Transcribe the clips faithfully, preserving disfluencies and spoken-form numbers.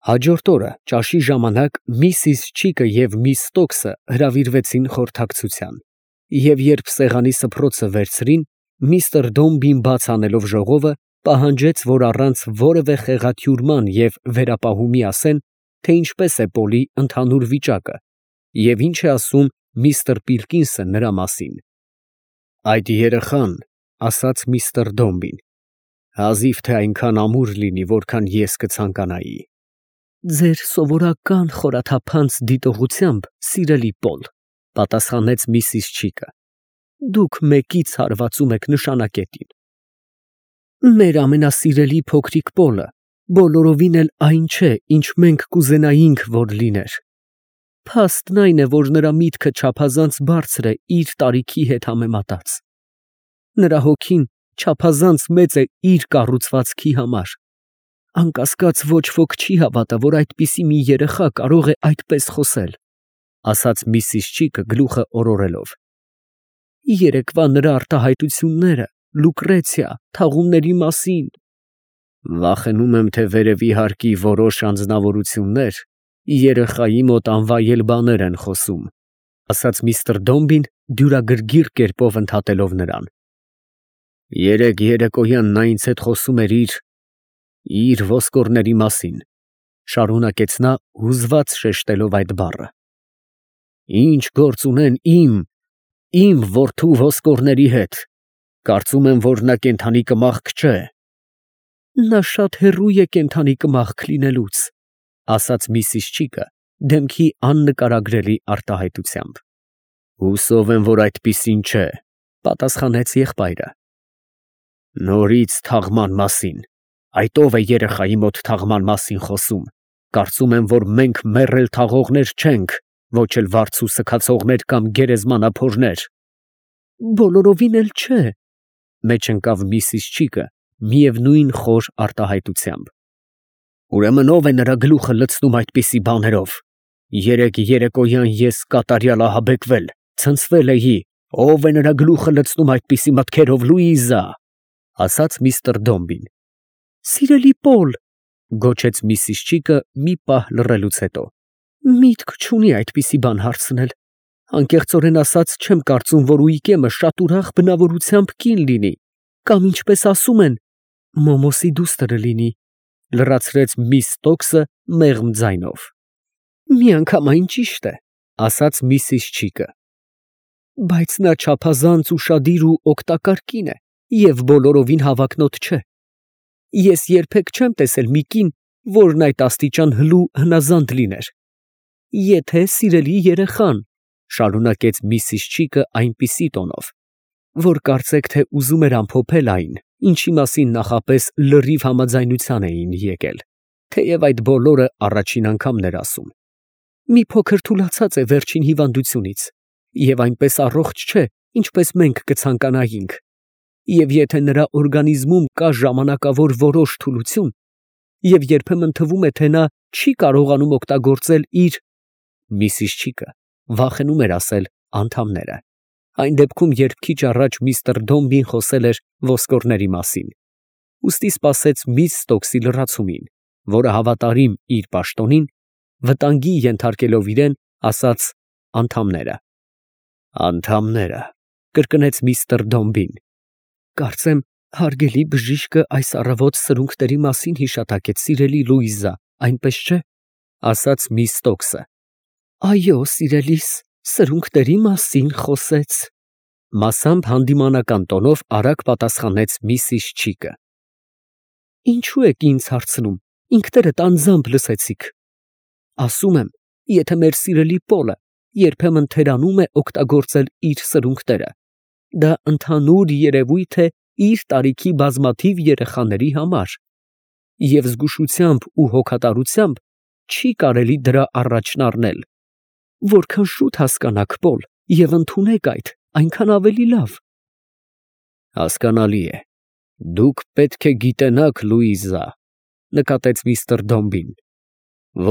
Հաջորդ օրը ճաշի ժամանակ միսիս Չիկը և միս Ստոքսը հրավիրվեցին խորհրդակցության, և երբ սեղանի սփռոցը վերցրին, միստր Դոմբին բաց անելով ժողովը, պահանջեց, որ առանց որևէ խեղաթյուրման և վերապահումի ասեն, թե ինչպես է Պոլի ընդհանուր վիճակը և ինչ է ասում միստր Պիլկինսը նրա մասին։ ֊ Այդ երեխան, ֊ ասաց միստր Դոմբին, ֊ հազիվ թե այնքան ամուր լինի, որքան ես կցանկանայի։ ֊ Ձեր սովորական խորաթափանց դիտողությամբ, սիրելի Պոլ, ֊ պատասխանեց միսիս Չիկը, ֊ դուք մեկից հարվածում եք նշանակետին։ Մեր ամենասիրելի փոքրիկ Պոլը բոլորովին էլ այն չէ, ինչ մենք կուզենայինք, որ լիներ. փաստն այն է, որ նրա միտքը չափազանց բարձր է իր տարիքի հետ համեմատած. նրա հոգին չափազանց մեծ է իր կառուցվածքի համար. անկասկած, ոչ ոք չի հավատա, որ այդպիսի մի երեխա կարող է այդպես խոսել, ֊ ասաց միսիս Չիկը գլուխը օրորելով։ Երեկվա նրա արտահայտությունները Լուկրեցիա, թաղումների մասին… Վախենում եմ, թե վերևի հարկի որոշ անձնավորություններ երեխայի մոտ անվայել բաներ են խոսում, ֊ ասաց միստր Դոմբին, դյուրագրգիռ կերպով ընդհատելով նրան։ Երեկ երեկոյան նա ինձ հետ խոսում էր իր… իր ոսկորների մասին, ֊ շարունակեց նա, հուզված շեշտելով այդ բառը։ Ինչ գործ ունեն իմ… իմ որդու ոսկորների հետ… կարծում եմ, որ նա կենդանի կմախք չէ։ Նա շատ հեռու է կենդանի կմախք լինելուց, ֊ ասաց միսիս Չիկը դեմքի աննկարագրելի արտահայտությամբ։ Հուսով եմ, որ այդպիսին չէ, ֊ պատասխանեց եղբայրը։ Նորից թաղման մասին… այդ ո՞վ է երեխայի մոտ թաղման մասին խոսում… կարծում եմ, որ մենք մեռել թաղողներ չենք, ոչ էլ վարձու սգացողներ կամ գերեզմանափորներ։ Բոլորովին էլ չէ, ֊ մեջ ընկավ միսիս Չիկը միևնույն խոր արտահայտությամբ։ Ուրեմն ո՞վ է նրա գլուխը լցնում այդպիսի բաներով… երեկ երեկոյան ես կատարյալ ահաբեկվել, ցնցվել էի… ո՞վ է նրա գլուխը լցնում այդպիսի մտքերով, Լուիզա… ֊ ասաց միստր Դոմբին։ Սիրելի Պոլ, ֊ գոչեց միսիս Չիկը մի պահ լռելուց հետո, ֊ միտք չունի այդպիսի բան հարցնել… անկեղծորեն ասած, չեմ կարծում, որ Ուիկեմը շատ ուրախ բնավորությամբ կին լինի, կամ ինչպես ասում են, մոմոսի դուստր լինի, ֊ լրացրեց միս Ստոքսը մեղմ ձայնով։ Միանգամայն ճիշտ է, ֊ ասաց միսիս Չիկը։ Բայց նա չափազանց ուշադիր ու օգտակար կին է և բոլորովին հավակնոտ չէ։ Ես երբեք չեմ տեսել մի կին, որն այդ աստիճան հլու հնազանդ լիներ։ Եթե սիրելի երեխան, ֊ շարունակեց միսիս Չիկը այնպիսի տոնով, որ կարծեք, թե ուզում էր ամփոփել այն, ինչի մասին նախապես լրիվ համաձայնության էին եկել, թեև այդ բոլորը առաջին անգամն էր ասում, մի փոքր թուլացած է վերջին հիվանդությունից և այնպես առողջ չէ, ինչպես մենք կցանկանայինք, և եթե նրա օրգանիզմում կա ժամանակավոր որոշ թուլություն, և երբեմն թվում է, թե նա չի կարողանում օգտագործել իր… Միսիս Չիկը վախենում էր ասել անդամները, այն դեպքում, երբ քիչ առաջ միստր Դոմբին խոսել էր ոսկորների մասին, ուստի սպասեց միս Ստոքսի լրացումին, որը հավատարիմ իր պաշտոնին, վտանգի ենթարկելով իրան, ասաց անդամները։ Անդամները, ֊ կրկնեց միստր Դոմբին, ֊ կարծեմ, հարգելի բժիշկը այս առավոտ սրունքների մասին հիշատակեց, սիրելի Լուիզա, այնպես չէ, ֊ ասաց միս Ստոքսը։ Այո, սիրելիս, սրունքների մասին խոսեց, ֊ մասամբ հանդիմանական տոնով արագ պատասխանեց միսիս Չիկը։ Ինչո՞ւ եք ինձ հարցնում, ինքներդ անձամբ լսեցիք։ Ասում եմ, եթե մեր սիրելի Պոլը երբեմն թերանում է օգտագործել իր սրունքները, դա ընդհանուր երևույթ է իր տարիքի բազմաթիվ երեխաների համար, և զգուշությամբ ու հոգատարությամբ չի կարելի դրա առաջն առնել։ Որքան շուտ հասկանաք, Պոլ, և ընդունեք այդ, այնքան ավելի լավ։ Հասկանալի է, դուք պետք է գիտենաք, Լուիզա, ֊ նկատեց միստր Դոմբին,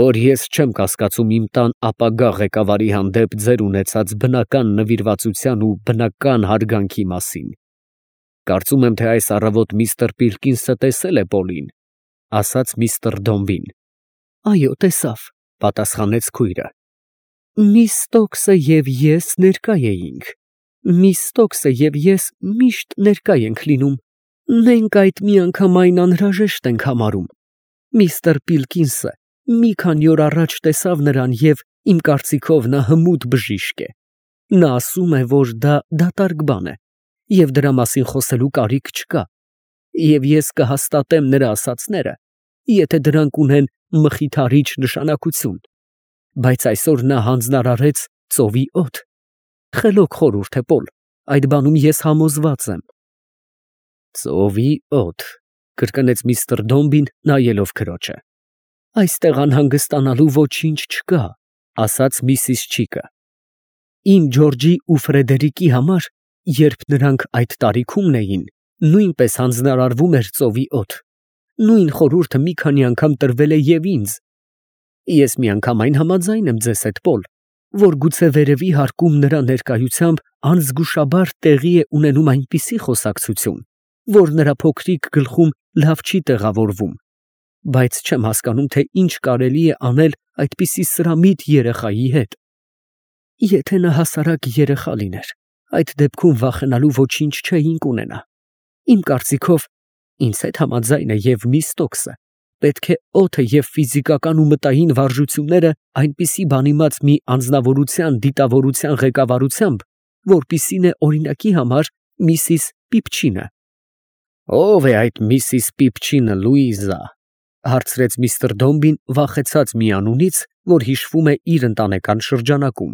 որ ես չեմ կասկածում իմ տան ապագա ղեկավարի հանդեպ ձեր ունեցած բնական նվիրվածության ու բնական հարգանքի մասին։ Կարծում եմ, թե այս առավոտ միստր Պիլկինսը տեսել է Պոլին, ֊ ասաց միստր Դոմբին, Այո, տեսավ, պատասխանեց քույրը։ Միս Ստոքսը և ես ներկա էինք։ Միս Ստոքսը և ես միշտ ներկա ենք լինում։ Մենք այդ միանգամայն անհրաժեշտ ենք համարում։ Միստր Պիլկինսը մի քանի օր առաջ տեսավ նրան և, իմ կարծիքով, նա հմուտ բժիշկ է։ Նա ասում է, որ դա դատարկ բան է, և դրա մասին խոսելու կարիք չկա, և ես կհաստատեմ նրա ասածները, եթե դրանք ունեն մխիթարիչ նշանակություն, բայց այսօր նա հանձնարարեց ծովի օդ։ Խելոք խորհուրդ է, Պոլ, այդ բանում ես համոզված եմ։ Ծովի օդ, կրկնեց միստր Դոմբին, նայելով քրոջը։ Այստեղ անհանգստանալու ոչինչ չկա, ասաց միսիս Չիկը։ Իմ Ջորջի ու Ֆրեդերիկի համար, երբ նրանք այդ տարիքում էին, նույնպես հանձնարարվում էր ծովի օդ։ Նույն խորհուրդը մի քանի անգամ տրվել է և ինձ։ Ես միանգամայն համաձայն եմ ձեզ հետ, Պոլ, որ գուցե վերևի հարկում նրա ներկայությամբ անզգուշաբար տեղի է ունենում այնպիսի խոսակցություն, որ նրա փոքրիկ գլխում լավ չի տեղավորվում, բայց չեմ հասկանում, թե ինչ կարելի է անել այդպիսի սրամիտ երեխայի հետ։ Եթե նա հասարակ երեխա լիներ, այդ դեպքում վախենալու ոչինչ չէինք ունենա։ Իմ կարծիքով, ինձ հետ համաձայն է և միս Ստոքսը, պետք է օդը և ֆիզիկական ու մտային վարժությունները այնպիսի բան իմաց մի անձնավորության դիտավորության ղեկավարությամբ, որպիսին է օրինակի համար միսիս Պիպչինը։ Ո՞վ է այդ միսիս Պիպչինը, Լուիզա, հարցրեց միստր Դոմբին, վախեցած մի անունից, որ հիշվում է իր ընտանեկան շրջանակում,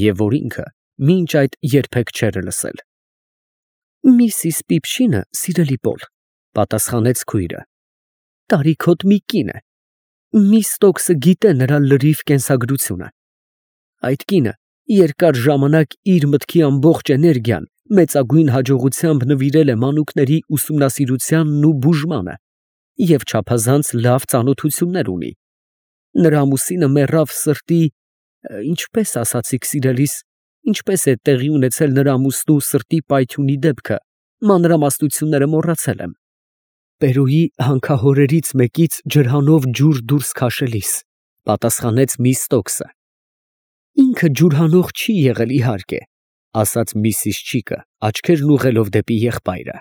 և որ ինքը մինչ այդ երբեք չէր լսել։ Միսիս Պիպչինը, սիրելի Պոլ, պատասխանեց քույրը, տարիքոտ մի կին է։ Միս Ստոքսը գիտե նրա լրիվ կենսագրությունը։ Այդ կինը երկար ժամանակ իր մտքի ամբողջ էներգիան մեծագույն հաջողությամբ նվիրել է մանուկների ուսումնասիրությանն ու բուժմանը և չափազանց լավ ծանոթություններ ունի։ Նրա ամուսինը մեռավ սրտի… Ինչպես ասացիք, սիրելիս, ինչպես է տեղի ունեցել նրա ամուսնու սրտի պայթյունի դեպքը, մանրամասնությունները մոռացել եմ։ Պերուի հանքահորերից մեկից ջրհանով ջուր դուրս քաշելիս, պատասխանեց միս Ստոքսը։ Ինքը ջուրհանող չի եղել, իհարկե, ասաց միսիս Չիկը, աչքերն ուղղելով դեպի եղբայրը։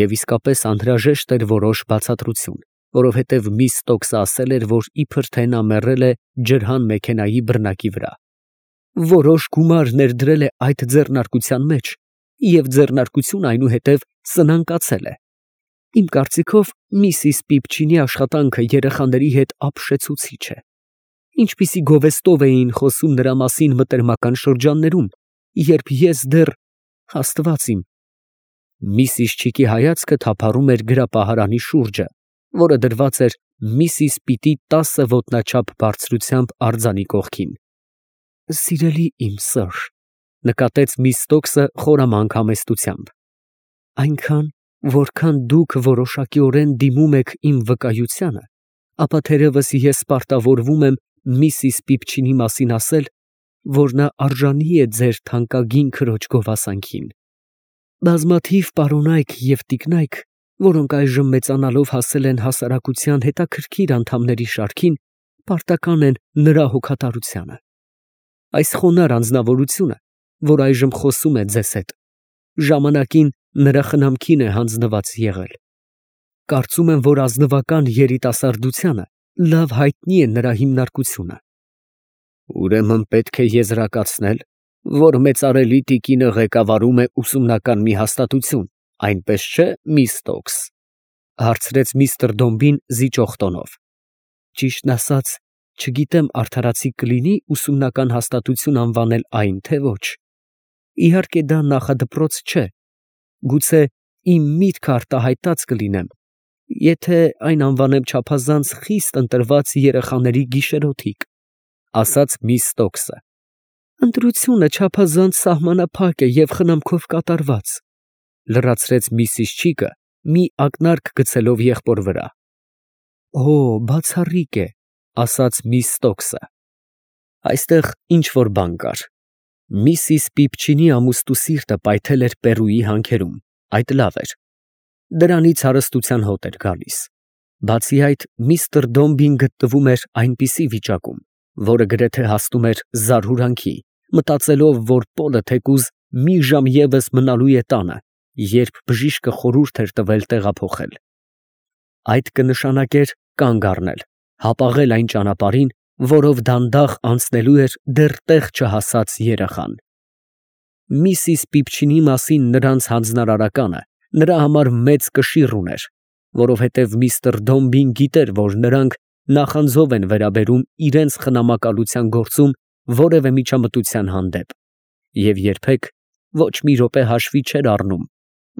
Եվ իսկապես անհրաժեշտ էր որոշ բացատրություն, որովհետև միս Ստոքսը ասել էր, որ իբր թե նա մեռել է ջրհան մեքենայի բռնակի վրա։ Որոշ գումար ներդրել է այդ ձեռնարկության մեջ, և ձեռնարկությունը այնուհետև սնանկացել է։ Իմ կարծիքով, միսիս Պիպչինի աշխատանքը երեխաների հետ ապշեցուցիչ է։ Ինչպիսի գովեստով էին խոսում նրա մասին մտերմական շրջաններում, երբ ես դեռ… Աստված իմ… Միսիս Չիկի հայացքը թափառում էր գրապահարանի շուրջը, որը դրված էր միսիս Պիտի տասը ոտնաչափ բարձրությամբ արձանի կողքին։ Սիրելի իմ սըր, նկատեց միս Ստոքսը խորամանկ համեստությամբ, այնքան, որքան դուք որոշակիորեն դիմում եք իմ վկայությանը, ապա թերևս ես պարտավորվում եմ միսիս Պիպչինի մասին ասել, որ նա արժանի է ձեր թանկագին քրոջ գովասանքին։ Բազմաթիվ պարոնայք և տիկնայք, որոնք այժմ մեծանալով հասել են հասարակության հետաքրքիր անդամների շարքին, պարտական են նրա հոգատարությանը։ Այս խոնարհ անձնավորությունը, որ այժմ խոսում է ձեզ հետ, ժամանակին նրա խնամքին է հանձնված եղել։ Կարծում եմ, որ ազնվական երիտասարդությանը լավ հայտնի է նրա հիմնարկությունը։ Ուրեմն պետք է եզրակացնել, որ մեծարելի տիկինը ղեկավարում է ուսումնական մի հաստատություն, այնպես չէ՞, միս Ստոքս, հարցրեց միստր Դոմբին զիջող տոնով։ Ճիշտն ասած, չգիտեմ արդարացի կլինի ուսումնական հաստատություն անվանել այն, թե ոչ։ Իհարկե դա նախադպրոց չէ։ Գուցե իմ միտքը արտահայտած կլինեմ, եթե այն անվանեմ չափազանց խիստ ընտրված երեխաների գիշերօթիկ, ասաց միս Ստոքսը։ Ընտրությունը չափազանց սահմանափակ է և խնամքով կատարված, լրացրեց միսիս Չիկը, մի ակնարկ գցելով եղբոր վրա։ Օ, բացառիկ է, ասաց միս Ստոքսը։ Այստեղ ինչ֊որ բան կար։ Միսիս Պիպչինի ամուստու սիրտը պայթել էր Պերուի հանքերում, այդ լավ էր։ Դրանից հարստության հոտ էր գալիս։ Բացի այդ, միստր Դոմբին գտնվում էր այնպիսի վիճակում, որը գրեթե հասնում էր զարհուրանքի, մտածելով, որ Պոլը թեկուզ մի ժամ ևս մնալու է տանը, երբ բժիշկը խորհուրդ էր տվել տեղափոխել։ Այդ կնշանակեր կանգ առնել, հապաղել այն ճանապարհին, որով դանդաղ անցնելու էր դեռ տեղ չհասած երեխան։ Միսիս Պիպչինի մասին նրանց հանձնարարականը նրա համար մեծ կշիռ ուներ, որովհետև միստր Դոմբին գիտեր, որ նրանք նախանձով են վերաբերում իրենց խնամակալության գործում որևէ միջամտության հանդեպ, և երբեք ոչ մի րոպե հաշվի չէր առնում,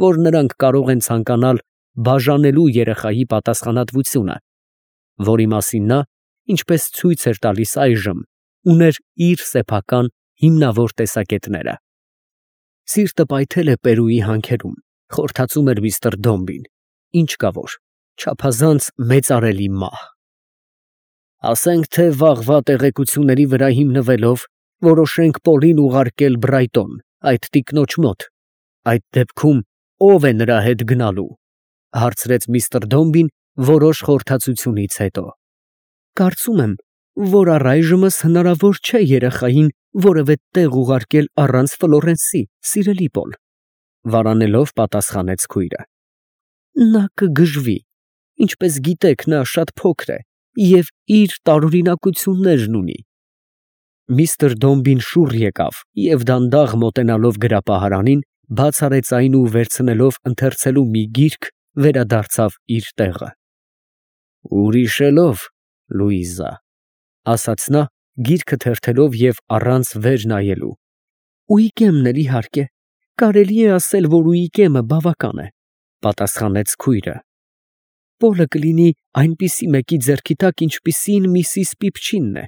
որ նրանք կարող են ցանկանալ բաժանելու երեխայի պատասխանատվությունը, որի մասին նա, ինչպես ցույց էր տալիս այժմ, ուներ իր սեփական հիմնավոր տեսակետները։ Սիրտը պայթել է Պերուի հանքերում, խորհրդածում էր միստր Դոմբին, ինչ կա որ, չափազանց մեծարելի մահ։ Ասենք թե վաղվա տեղեկությունների վրա հիմնվելով որոշենք Պոլին ուղարկել Բրայտոն, այդ տիկնոջ մոտ, այդ դեպքում ո՞վ է նրա հետ գնալու, հարցրեց միստր Դոմբին որոշ խորհրդածությունից հետո։ Կարծում եմ, որ առայժմս հնարավոր չէ երեխային որևէ տեղ ուղարկել առանց Ֆլորենսի, սիրելի Պոլ, վարանելով պատասխանեց քույրը։ Նա կգժվի, ինչպես գիտեք, նա շատ փոքր է և իր տարօրինակություններն ունի։ Միստր Դոմբին շուռ եկավ և դանդաղ մոտենալով գրապահարանին, բաց արեց այն ու վերցնելով ընթերցելու մի գիրք, վերադարձավ իր տեղը։ Ուրիշելով, Լուիզա, ասաց նա, գիրքը թերթելով և առանց վեր նայելու։ Ուիկեմն էլ իհարկե, կարելի է ասել, որ Ուիկեմը բավական է, պատասխանեց քույրը։ Պոլը կլինի այնպիսի մեկի ձեռքի տակ, ինչպիսին միսիս Պիպչինն է։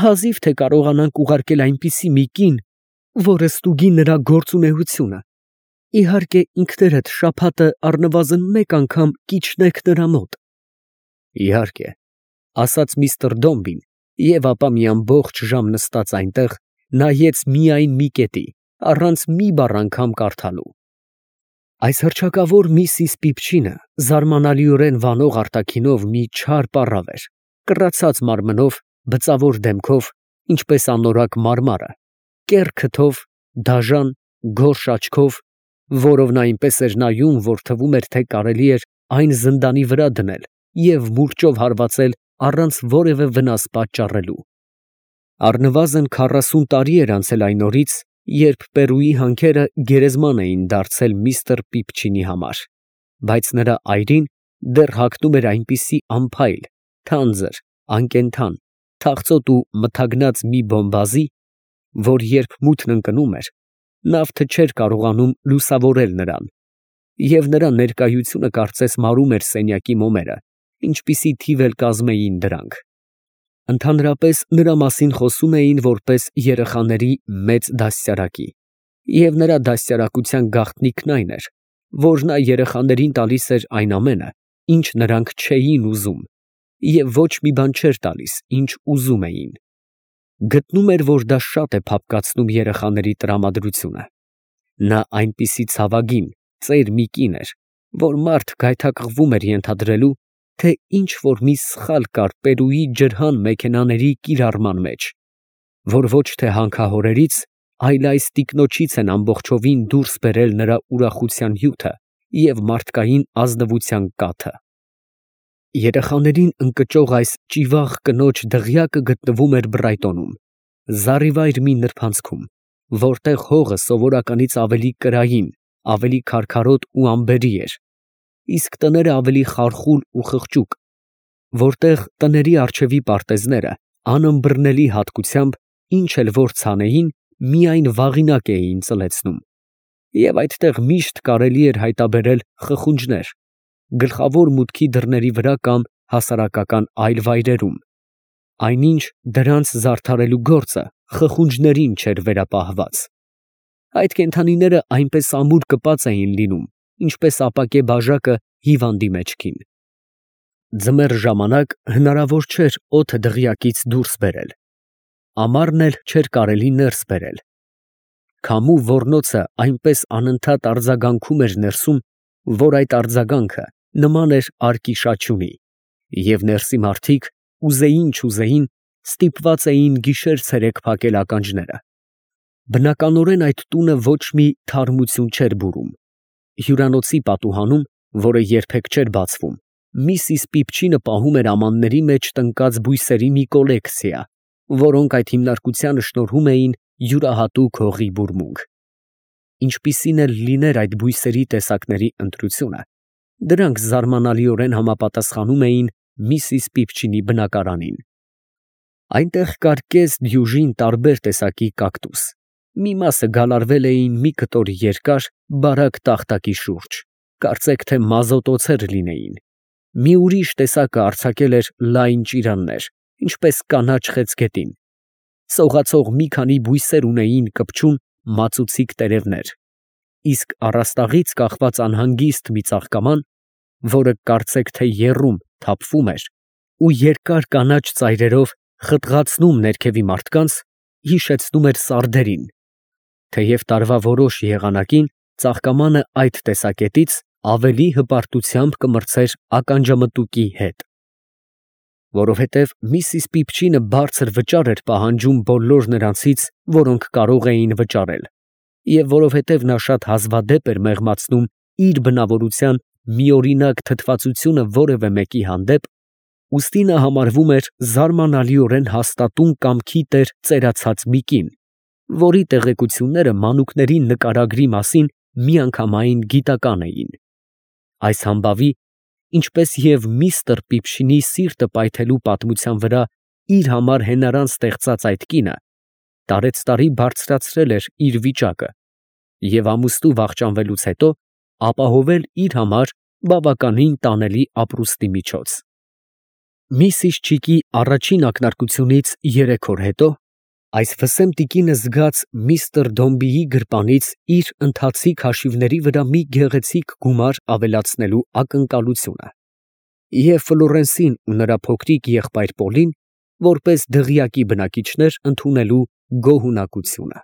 Հազիվ թե կարողանանք ուղարկել այնպիսի մի կին, որը ստուգի նրա գործունեությունը։ Իհարկե, ինքներդ շաբաթը առնվազն մեկ անգամ կիջնեք նրա մոտ։ Իհարկե, ասաց միստր Դոմբին, և ապա մի ամբողջ ժամ նստած այնտեղ, նայեց միայն մի կետի, առանց մի բառ անգամ կարդալու։ Այս հռչակավոր միսիս Պիպչինը զարմանալիորեն վանող արտաքինով մի չար պառավ էր, կռացած մարմնով, բծավոր դեմքով, ինչպես անորակ մարմարը, կեռ քթով, դաժան, գորշ աչքով, որով նա այնպես էր նայում, որ թվում էր, թե կարելի էր այն զնդանի վրա դնել և մուրճով հարվածել առանց որևէ վնաս պատճառելու։ Առնվազն քառասուն տարի էր անցել այն օրից, երբ Պերուի հանքերը գերեզման էին դարձել միստր Պիպչինի համար, բայց նրա այրին դեռ հագնում էր այնպիսի անփայլ, թանձր, անկենդան, թախծոտ ու մթագնած մի բոմբազի, որ երբ մութն ընկնում էր, նավթը չէր կարողանում լուսավորել նրան, և նրա ներկայությունը կարծես մարում էր սենյակի մոմերը, ինչպիսի թիվ էլ կազմեին դրանք։ Ընդհանրապես նրա մասին խոսում էին որպես երեխաների մեծ դաստիարակի, և նրա դաստիարակության գաղտնիքն այն էր, որ նա երեխաներին տալիս էր այն ամենը, ինչ նրանք չէին ուզում, և ոչ մի բան չէր տալիս, ինչ ուզում էին։ Գտնում էր, որ դա շատ է փափկացնում երեխաների տրամադրությունը։ Նա այնպիսի ցավագին, ծեր մի կին էր, որ մարդ գայթակղվում էր ենթադրելու, թե ինչ որ մի սխալ կար Պերուի ջրհան մեքենաների կիրառման մեջ, որ ոչ թե հանքահորերից, այլ այս տիկնոջից են ամբողջովին դուրս բերել նրա ուրախության հյութը և մարդկային ազնվության կաթը։ Երեխաներին ընկճող այս ճիվաղ կնոջ դղյակը գտնվում էր Բրայտոնում, զառիվայր մի նրբանցքում, որտեղ հողը սովորականից ավելի կրային, ավելի քարքարոտ ու անբերի էր, իսկ տները ավելի խարխուլ ու խղճուկ, որտեղ տների առջևի պարտեզները անըմբռնելի հատկությամբ, ինչ էլ որ ցանեին, միայն վաղինակ էին ծլեցնում, և այդտեղ միշտ կարելի էր հայտնաբերել խխունջներ, գլխավոր մուտքի դռների վրա կամ հասարակական այլ վայրերում, այնինչ դրանց զարդարելու գործը խխունջներին չէր վերապահված։ Այդ կենդանիները այնպես ամուր կպած էին լինում, ինչպես ապակե բաժակը հիվանդի մեջքին։ Ձմեռ ժամանակ հնարավոր չէր օդը դղյակից դուրս բերել, ամառն էլ չէր կարելի ներս բերել։ Քամու ոռնոցը այնպես անընդհատ արձագանքում էր ներսում, որ այդ արձագանքը նման էր արկի շաչյունի, Եվ ներսի մարդիկ ուզեին չուզեին ստիպված էին գիշեր֊ցերեկ փակել ականջները։ Բնականորեն այդ տունը ոչ մի թարմություն չէր բուրում։ Հյուրանոցի պատուհանում, որը երբեք չէր բացվում, միսիս Պիպչինը պահում էր ամանների մեջ տնկած բույսերի մի կոլեկցիա, որոնք այդ հիմնարկությանը շնորհում էին յուրահատուկ հողի բուրմունք։ Ինչպիսին էլ լիներ այդ բույսերի տեսակների ընտրությունը, դրանք զարմանալիորեն համապատասխանում էին միսիս Պիպչինի բնակարանին։ Այնտեղ կար կես դյուժին տարբեր տեսակի կակտուս, մի մասը գալարվել էին մի կտոր երկար, բարակ տախտակի շուրջ, կարծեք թե մազոտոցեր լինեին։ Մի ուրիշ տեսակը արձակել էր լայն ճիրաններ, ինչպես կանաչ խեցգետին։ Սողացող մի քանի բույսեր ունեին կպչուն մածուցիկ տերևներ, իսկ առաստաղից կախված անհանգիստ մի ծաղկաման, որը կարծեք թե եռում, թափվում էր ու երկար կանաչ ծայրերով խտղացնում ներքևի մարդկանց, հիշեցնում էր սարդերին, թեև տարվա որոշ եղանակին ծաղկամանը այդ տեսակետից ավելի հպարտությամբ կմրցեր ականջամտուկի հետ։ Որովհետև միսիս Պիպչինը բարձր վճար էր պահանջում բոլոր նրանցից, որոնք կարող էին վճարել, և որովհետև նա շատ հազվադեպ էր մեղմացնում իր բնավորության միօրինակ թթվածությունը որևէ մեկի հանդեպ, ուստի նա համարվում էր զարմանալիորեն հաստատուն կամքի տեր ծերացած մի կին, որի տեղեկությունները մանուկների նկարագրի մասին միանգամայն գիտական էին։ Այս համբավի, ինչպես և միստր Պիպչինի սիրտը պայթելու պատմության վրա իր համար հենարան ստեղծած այդ կինը տարեցտարի բարձրացրել էր իր վիճակը և ամուսնու վախճանվելուց հետո ապահովել իր համար բավականին տանելի ապրուստի միջոց։ Միսիս Չիկի առաջին ակնարկությունից երեք օր հետո այս վսեմ տիկինը զգաց միստր Դոմբիի գրպանից իր ընթացիկ հաշիվների վրա մի գեղեցիկ գումար ավելացնելու ակնկալությունը և Ֆլորենսին ու նրա փոքրիկ եղբայր Պոլին որպես դղյակի բնակիչներ ընդունելու գոհունակությունը։